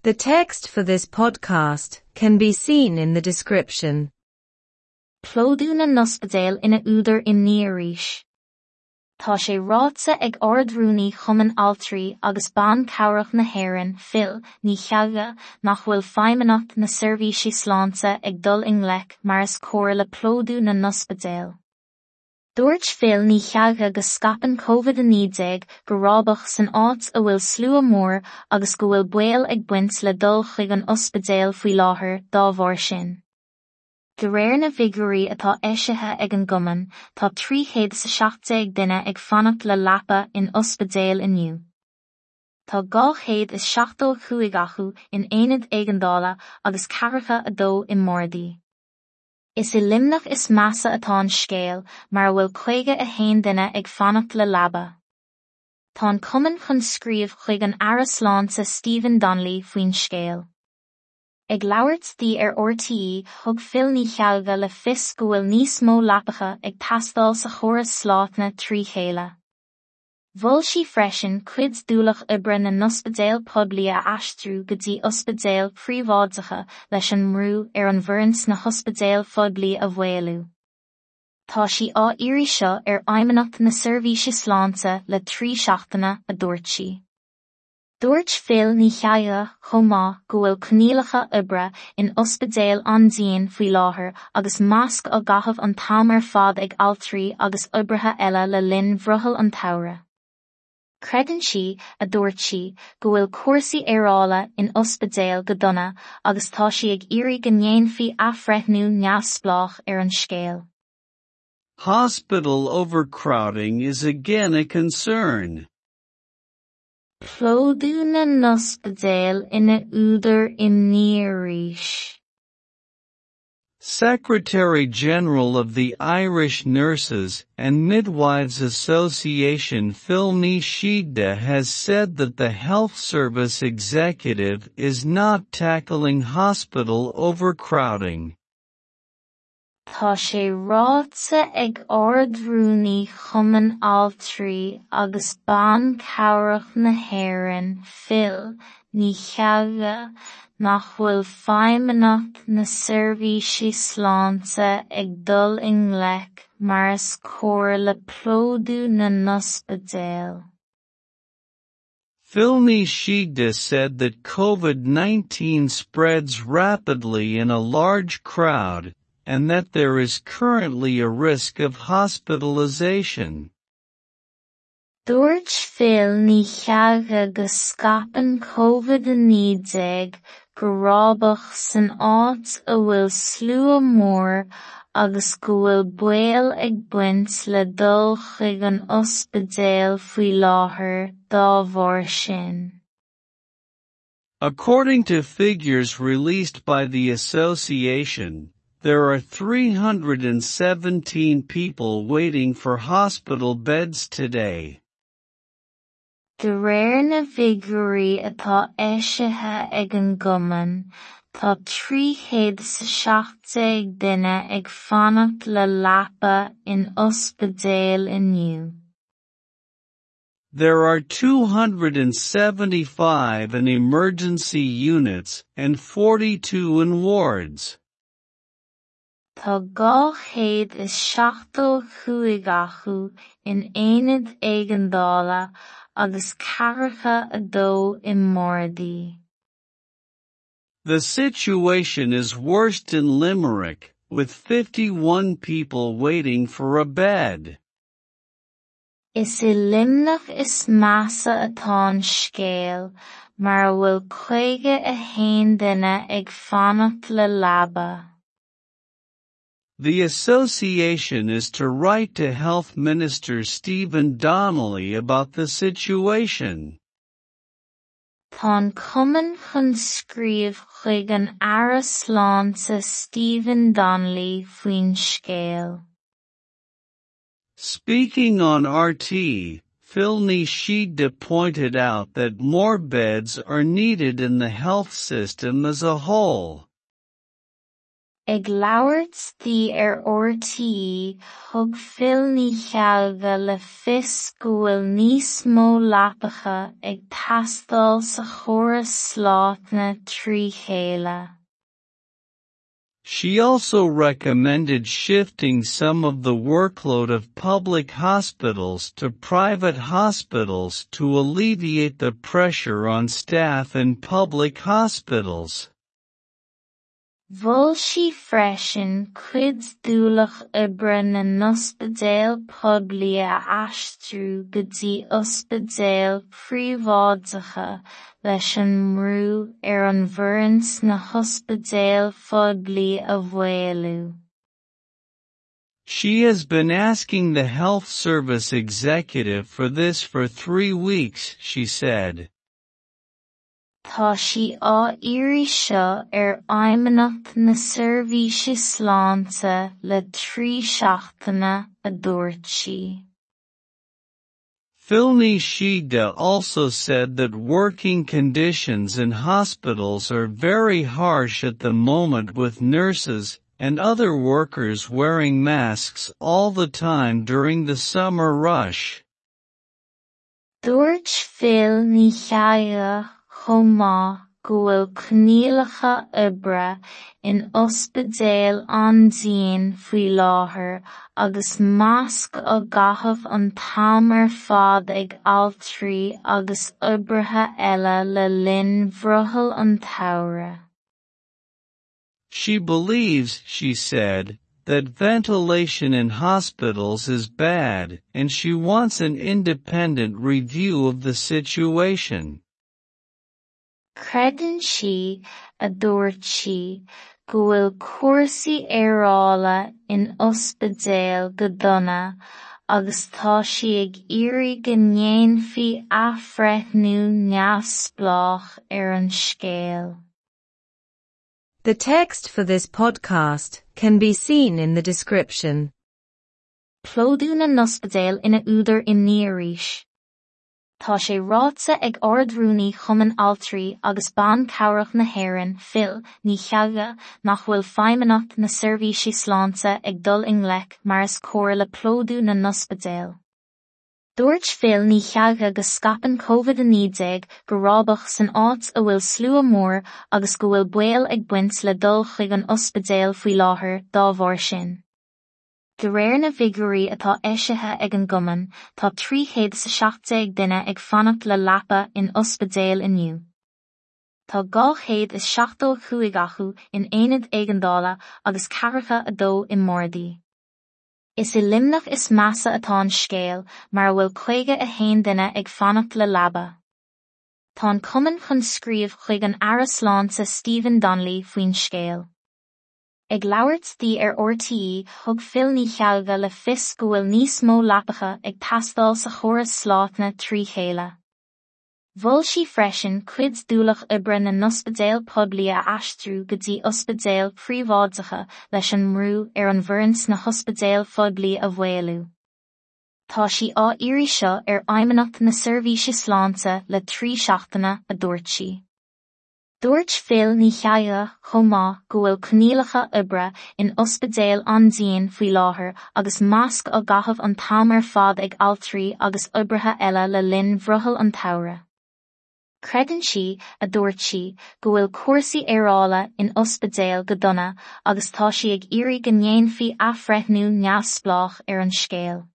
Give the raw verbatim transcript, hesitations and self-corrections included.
The text for this podcast can be seen in the description. Plódú na n-ospidéal ina údar imní arís. Tá sé ráite ag Ard-Rúnaí Chumann Altraí agus Ban Cabhrach na hÉireann, Phil Ní Cheallaigh, nach bhfuil Feidhmeannacht na Seirbhíse Sláinte ag dul i ngleic mar is cóir le plódú na n-ospidéal. Dúirt Phil Ní Cheallaigh go scaipeann Covid a naoi déag go rábach san áit a bhfuil slua mór agus go bhfuil baol ag baint le dul chuig an ospidéal faoi láthair dá bharr sin. De réir na bhfigiúirí atá eisithe ag an gcumann, tá trí chéad is a seacht déag duine ag fanacht le leapa in ospidéil inniu. Tá dhá chéad is seachtó a cúig acu in aonaid éigeandála agus ceathracha a dó i mbardaí. Is i Luimneach is measa atá an scéal, mar a bhfuil caoga a haon duine ag fanacht le leaba. Tá an cumann chun scríobh chuig an Aire Sláinte Stephen Donnelly faoin scéal. Ag labhairt di ar RTÉ, thug Phil Ní Cheallaigh le fios go bhfuil níos mó leapacha ag teastáil sa chóras sláinte trí chéile. Mhol sí freisin cuid d'ualach oibre na n-ospidéal poiblí a aistriú go dtí ospidéil phríobháideacha leis an mbrú ar an bhfoireann sna hospidéil phoiblí a mhaolú. Tá sí á iarraidh seo ar Fheidhmeannacht na Seirbhíse Sláinte le trí seachtaine, a dúirt sí. Dúirt Phil Ní Cheallaigh chomh maith go bhfuil coinníollacha oibre in ospidéil an-dian faoi láthair agus masc á gcaitheamh an t-am ar fad ag altraí agus oibrithe eile le linn bhrothall an tsamhraidh. Creideann sí, a dúirt sí, go bhfuil cúrsaí aerála in ospidéil go dona agus tá sí ag iarraidh go ndéanfaí athbhreithniú neamhspleách ar an scéal. Hospital overcrowding is again a concern. Plódú na n-ospidéal ina údar imní arís. Secretary General of the Irish Nurses and Midwives Association Phil Ní Sheaghdha has said that the Health Service Executive is not tackling hospital overcrowding. Tá sé ráite ag Ard-Rúnaí Chumann Altraí agus Ban Cabhrach na hÉireann, Phil Ní Cheallaigh, nach bhfuil Feidhmeannacht na Seirbhíse Sláinte ag dul i ngleic mar is cóir le plódú na n-ospidéal. Phil Ní Sheaghdha said that COVID nineteen spreads rapidly in a large crowd, and that there is currently a risk of hospitalization. Dúirt Phil Ní Cheallaigh go scaipeann Covid a naoi déag go rábach san áit a bhfuil slua mór agus go bhfuil baol ag baint le dul chuig an ospidéal faoi láthair dá bharr sin. According to figures released by the association, there are three hundred and seventeen people waiting for hospital beds today. De réir na bhfigiúirí atá eisithe ag an gcumann, tá trí chéad is a seacht déag duine ag fanacht le leapa in ospidéil inniu. There are two hundred and seventy-five in emergency units and forty-two in wards. Tá dhá chéad is seachtó cúig acu in aonaid éigeandála agus ceathracha a dó i mbardaí. The situation is worst in Limerick, with fifty-one people waiting for a bed. Is i Luimneach is measa atá an scéal, mar a bhfuil caoga a haon duine ag fanacht le leaba. The association is to write to Health Minister Stephen Donnelly about the situation. Tá an cumann chun scríobh chuig an Aire Sláinte Stephen Donnelly faoin scéal. Speaking on R T, Phil Ní Sheaghdha pointed out that more beds are needed in the health system as a whole. Ag labhairt di ar RTÉ, thug Phil Ní Cheallgha le fios go bhfuil níos mó leapacha ag teastáil sa chóras sláinte trí chéile. She also recommended shifting some of the workload of public hospitals to private hospitals to alleviate the pressure on staff in public hospitals. Mhol sí freisin cuid d'ualach oibre na n-ospidéal poiblí a aistriú go dtí ospidéil phríobháideacha leis an mbrú ar an bhfoireann sna hospidéil phoiblí a mhaolú. She has been asking the health service executive for this for three weeks, she said. Tá sí á iarraidh seo ar Fheidhmeannacht na Seirbhíse Sláinte le trí seachtaine, a dúirt sí. Phil Ní Sheaghdha also said that working conditions in hospitals are very harsh at the moment with nurses and other workers wearing masks all the time during the summer rush. Dúirt Phil Ní Cheallgha chomh maith go bhfuil coinníollacha oibre in ospidéil an-dian faoi láthair agus masc á gcaitheamh an t-am ar fad ag altraí agus oibrithe eile le linn bhrothall an tsamhraidh. She believes, she said, that ventilation in hospitals is bad and she wants an independent review of the situation. Creideann sí, a dúirt sí, go bhfuil cúrsaí aerála in ospidéil go dona agus tá sí ag iarraidh go ndéanfaí athbhreithniú neamhspleách ar an scéal. The text for this podcast can be seen in the description. Plódú na n-ospidéal ina údar imní arís. Tá sé ráite ag Ard-Rúnaí Chumann Altraí agus Ban Cabhrach na hÉireann, Phil Ní Cheallgha, nach bhfuil Feidhmeannacht na Seirbhíse Sláinte ag dul i ngleic mar is cóir le plódú na n-ospidéal. Dúirt Phil Ní Cheallgha go scaipeann Covid a naoi déag go rábach san áit a bhfuil slua mór agus go bhfuil baol ag baint le dul chuig an ospidéal faoi láthair dá bharr sin. De réir na bhfigiúirí atá eisithe ag an gcumann, tá trí chéad is a seacht déag duine ag fanacht le leapa in ospidéal inniu. Tá dhá chéad is seachtó a cúig acu in aonad éigeandála agus ceathracha a dó i mbardaí. Is i Luimneach is measa atá an scéal, mar a bhfuil caoga a haon duine ag fanacht le leaba. Tá an cumann chun scríobh chuig an Aire Sláinte Stephen Donnelly faoin scéal. Ag labhairt di ar RTÉ, thug Phil Ní Cheallgha le fios go bhfuil níos mó leapacha ag teastáil sa chóras sláinte trí chéile. Mhol sí freisin cuid d'ualach oibre na n-ospidéal poiblí a aistriú go dtí ospidéil phríobháideacha leis an mbrú ar an bhfoireann sna hospidéil phoiblí a mhaolú. Tá sí á iarraidh seo ar Fheidhmeannacht na Seirbhíse Sláinte le trí seachtaine, a dúirt sí. Dúirt Phil Ní Cheallgha chomh maith go bhfuil coinníollacha oibre in ospidéil an-dian faoi láthair agus masc á gcaitheamh an t-am ar fad ag altraí agus oibrithe eile le linn bhrothall an tsamhraidh. Creideann sí, a dúirt sí, go bhfuil cúrsaí aerála in ospidéil go dona agus tá sí ag iarraidh go ndéanfaí athbhreithniú neamhspleách ar an scéal.